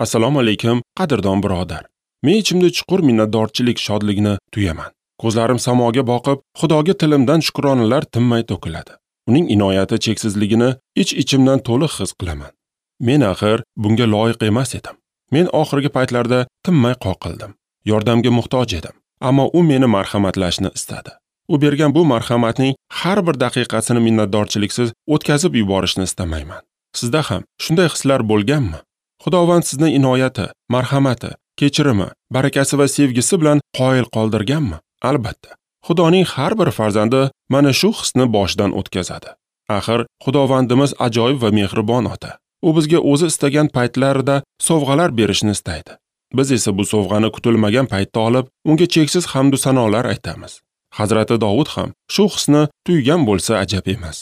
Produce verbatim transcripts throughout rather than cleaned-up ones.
Assalomu alaykum, qadrdon birodar. Men ichimda chuqur minnatdorchilik shodligini tuyaman. Ko'zlarim samoga boqib, Xudoga tilimdan shukronalar tinmay to'kiladi. Uning inoyati cheksizligini ich-ichimdan to'liq his qilaman. Men axir bunga loyiq emas edim. Men oxirgi paytlarda tinmay qoqildim. Yordamga muhtoj edim. Ammo u meni marhamatlashni istadi. U bergan bu marhamatning har bir daqiqasini minnatdorchiliksiz o'tkazib yuborishni istamayman. Sizda ham shunday hislar bo'lganmi? Xudovand sizni inoyati, marhamati, kechirimi, barakasi va sevgisi bilan qoyil qoldirganmi? Albatta. Xudoning har bir farzandi mana shu hisni boshidan o'tkazadi. Axir Xudovandimiz ajoyib va mehribon ota. U bizga o'zi istagan paytlarida sovg'alar berishni istaydi. Biz esa bu sovg'ani kutilmagan paytda olib, unga cheksiz hamd va sanolar aytamiz. Hazrati Dovud ham shu hisni tuygan bo'lsa ajab emas.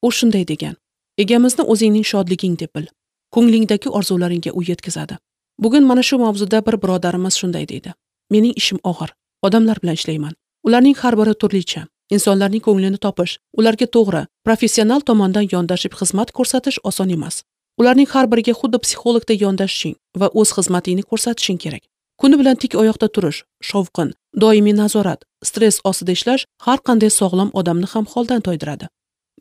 U shunday degan: Egamizni o'zingning shodliging deb bil. Ko'nglingdagi orzularingga u yetkazadi. Bugun mana shu mavzuda bir birodarimiz shunday deydi: Mening ishim og'ir. Odamlar bilan ishlayman. Ularning har biri turlicha. Insonlarning ko'nglini topish, ularga to'g'ri, professional tomondan yondashib xizmat ko'rsatish oson emas. Ularning har biriga xuddi psixologda yondashishing va o'z xizmatingni ko'rsatishing kerak. Kuni bilan tik oyoqda turish, shovqin, doimiy nazorat, stress ostida ishlash har qanday sog'lom odamni ham holdan toydiradi.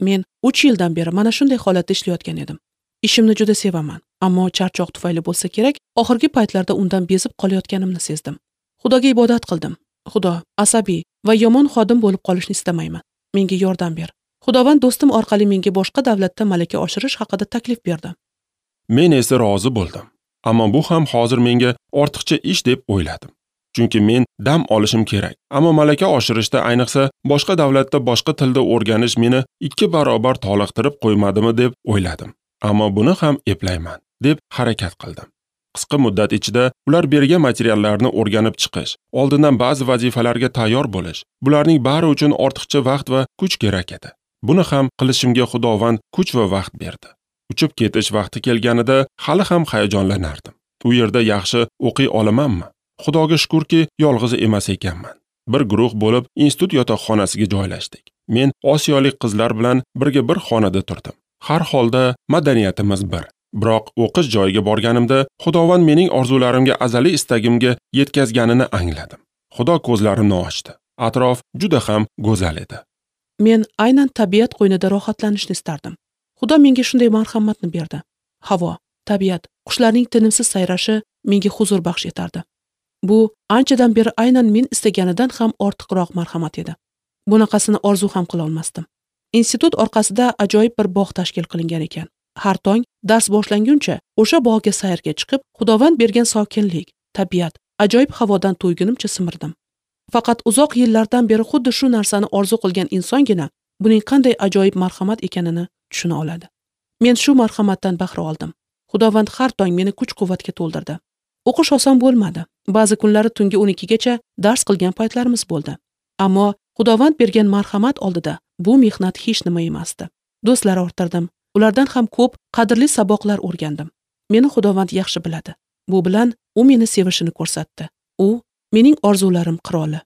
Men uch yildan beri mana shunday holatda ishlayotgan edim. Ishimni juda sevaman, ammo charchoq tufayli bo'lsa kerak, oxirgi paytlarda undan bezib qolayotganimni sezdim. Xudoga ibodat qildim. Xudo, asabiy va yomon xodim bo'lib qolishni istamayman. Menga yordam ber. Xudovand do'stim orqali menga boshqa davlatda malaka oshirish haqida taklif berdi. Men esa rozi bo'ldim. Ammo bu ham hozir menga ortiqcha ish deb o'yladim. Chunki men dam olishim kerak. Ammo malaka oshirishda, ayniqsa boshqa davlatda boshqa tilda o'rganish meni ikki barobar toliqtirib qo'ymadimi deb o'yladim. Ammo buni ham eplayman deb harakat qildim. Qisqa muddat ichida ular bergan materiallarni o'rganib chiqish, oldindan ba'zi vazifalarga tayyor bo'lish, bularning bari uchun ortiqcha vaqt va kuch kerak edi. Buni ham qilishimga Xudovand kuch va vaqt berdi. Uchib ketish vaqti kelganida hali ham hayajonlanardim. U yerda yaxshi o'qiy olamanmi? Xudoga shukurki, yolg'iz emas ekanman. Bir guruh bo'lib institut yotoqxonasiga joylashdik. Men osiyolik qizlar bilan birga bir xonada turdim. Har holda madaniyatimiz bir. Biroq o'qish joyiga borganimda Xudovand mening orzularimga, azaliy istagimga yetkazganini angladim. Xudo ko'zlarimni ochdi. Atrof juda ham go'zal edi. Men aynan tabiat qo'ynida rohatlanishni istardim. Xudo menga shunday marhamatni berdi. Havo, tabiat, qushlarning tinimsiz sayrashi menga huzur baxsh etardi. Bu anchadan beri aynan men istaganidan ham ortiqroq marhamat edi. Bunaqasini orzu ham qila olmasdim. Institut orqasida ajoyib bir bog' tashkil qilingan ekan. Har tong dars boshlanguncha o'sha bog'ga sayrga chiqib, Xudovand bergan sokinlik, tabiat, ajoyib havodan to'ygunimcha simirdim. Faqat uzoq yillardan beri xuddi shu narsani orzu qilgan insongina buning qanday ajoyib marhamat ekanini tushuna oladi. Men shu marhamatdan bahra oldim. Xudovand har tong meni kuch-quvvatga to'ldirdi. O'qish oson bo'lmadi. Ba'zi kunlari tungi o'n ikkigacha dars qilgan paytlarimiz bo'ldi. Ammo Xudovand bergan marhamat oldida bu mehnat hech nima emasdi. Do'stlar orttirdim. Ulardan ham ko'p qadrli saboqlar o'rgandim. Meni Xudovand yaxshi biladi. Bu bilan u meni sevishini ko'rsatdi. U mening orzularim qiroli.